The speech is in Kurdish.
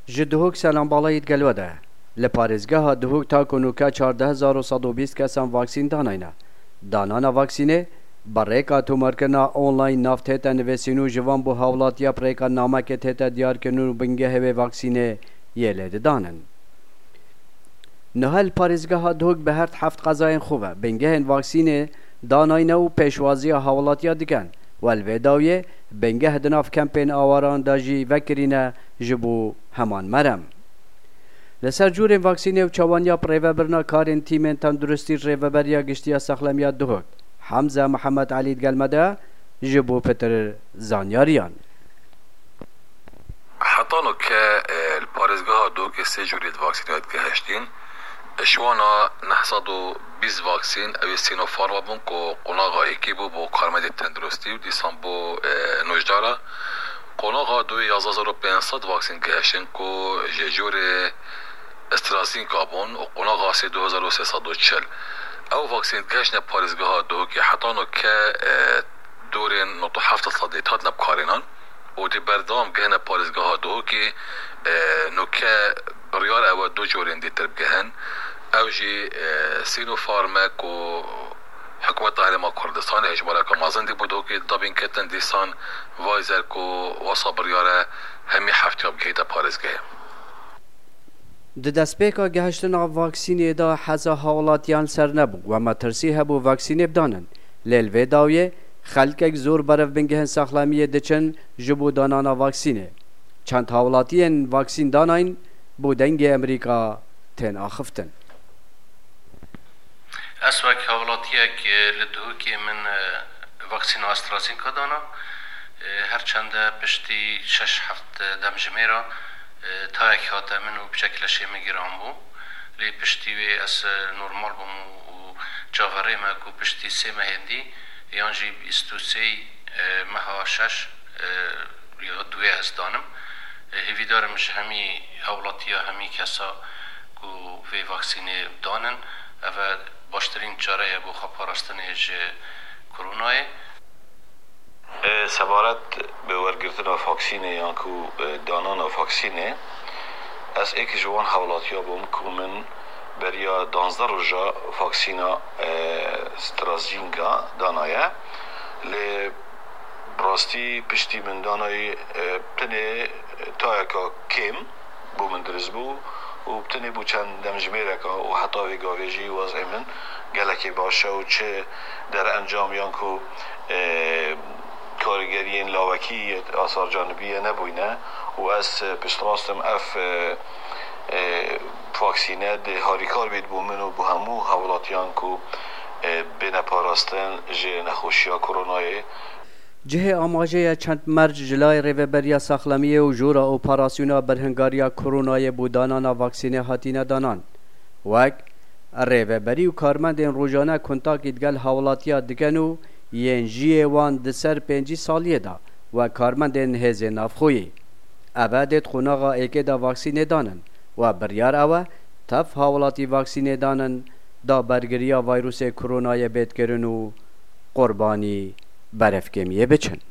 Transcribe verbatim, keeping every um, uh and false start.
Ji Duhok selam balayî digel we de. Li parêzgeha Duhok ta ku nûke çardeh hezar û sed û bîst kesan vaksîn danayne. Danana vaksînê bi rêka tomarkirina online nav tête nivîsîn û ji van bo hawlatiya bi rêka namekê tête diyarkirin û bingehê wê vaksînê yê lê didanin. Niha li parêzgeha Duhok bi her heft qezayên xwe ve bingehên vaksînê danayne û pêşwaziya hawlatiya dikin. Û li vê dawiyê bingeh di nav kempên awaran de jî vekirîne ji bo heman merem. Li ser cûrên vaksînê û çawaniya bi rêvebirina karên tîmên tenduristî Rêveberiya Giştî ya Sexlemiya Duhok, Hemze Mihemed Elî digel me de ji bo pitir zanyariyan. Heta nûke, e, li parêzgeha Duhokê sê cûrê di vaksînê digihiştîn. Ji wana neh sed û bîst vaksîn ew ê Sinopharm bûn ku qonaxa êkê bû bo karmendê tenduristî û dîsan bo, e, nûjdara. Qonaxa duyê yazdeh hezar û pênc sed vaksîn gihiştin ku ji cûrê AstraZeneca bûn û qonaxa sê du hezar û sê sed û çil. Ew vaksîn gihiştine parêzgeha Duhokê heta nûke, e, dorên nod û heft sedî hatine bikarînan û dê berdewam gihine parêzgeha Duhokê, e, nûke biryar ew e du corên dîtir bigihin. Ew jî, e, Sinopharm e ku hikûmeta Herêma Kurdistanê hejmareka mezin dî bo Duhokê dabîn ketin, dîsan Pfizer ku wesa biryar e hemî heftiya bigihîte parêzgehê. Di destpêka gihiştina vaksînê de heza hawlatiyan ser nebû, we metirsî hebû vaksînê bidanin. Lê li vê dawiyê xelkek zor berev bingehên saxlemiyê diçin ji bo danana vaksînê. Çend hawlatiyên vaksîn danayîn bo Dengê Emerîka tên axiftin. Ez wek hawlatiyek, e, li Duhokê min, e, vaksîna AstraZeneca dana. E, her çende piştî şeş heft demjimêra, e, tayek hate min û piçek leşê min giran bû. Lê piştî wê ez, e, normal bûm û, û çaverê me ku piştî sê mehên dî yan jî bîst û sê, e, meha şeş, e, ya duê ez danim. E, hêvîdar im ji hemî hawlatiya hemî kesa ku vê vaksînê danin, ev e baştirîn çare ye bo xwe parastinê ji koronayê. E, sebaret bi wergirtina vaksînê yan ku, e, danana vaksînê, ez êk ji wan hawlatiya bûm ku min beriya danzdeh roja vaksîna, e, AstraZeneca danaye. Lê bi rastî piştî min danayî, e, tenê tayeka kêm bo min dirist bû û tenê bû çend demjimêreka û heta vê gavê jî wez'ê min gelekî baş e û çi derencam yan ku, e, karîgeriyên lawekî yê asarcanibî ye nebûyne û ez, e, piştrast im ev, e, e, vaksîne dê harîkar bît bo min û bo hemû hawlatiyan ku, e, bêne parastin ji nexweşiya koronayê. Cihê amajê ye çend merc ji layê Rêveberiya Saxlemiyê û Jora Operasyona Birhingariya Koronayê bo danana vaksînê hatîne danan. Wek rêveberî û karmendên rojane kontakî digel hawlatiya dikin û yên jiyê wan di ser pêncî saliyê de wek karmendên hêzên navxweyî. Ev e dê di qonaxa êkê de vaksînê danin. We biryar ew e tev hawlatî vaksînê danin da bergiriya vayrûsê koronayê bêt kirin û qurbanî berevkêmiyê biçin.